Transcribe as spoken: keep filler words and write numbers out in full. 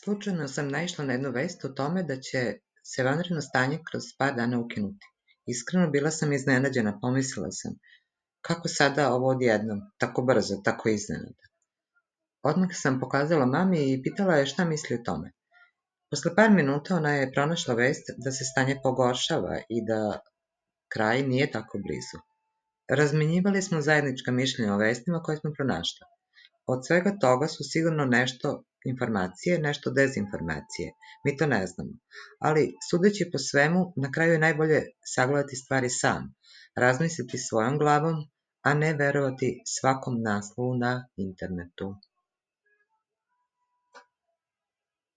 Slučajno sam naišla na jednu vest o tome da će se vanredno stanje kroz par dana ukinuti. Iskreno, bila sam iznenađena, pomislila sam, kako sada ovo odjednom, tako brzo, tako iznenada. Odmah sam pokazala mami i pitala je šta misli o tome. Posle par minuta ona je pronašla vest da se stanje pogoršava i da kraj nije tako blizu. Razmenjivali smo zajednička mišljenja o vestima koje smo pronašla. Od svega toga su sigurno nešto informacije, nešto dezinformacije. Mi to ne znamo. Ali, sudeći po svemu, na kraju je najbolje sagledati stvari sam, razmisliti svojom glavom, a ne verovati svakom naslovu na internetu.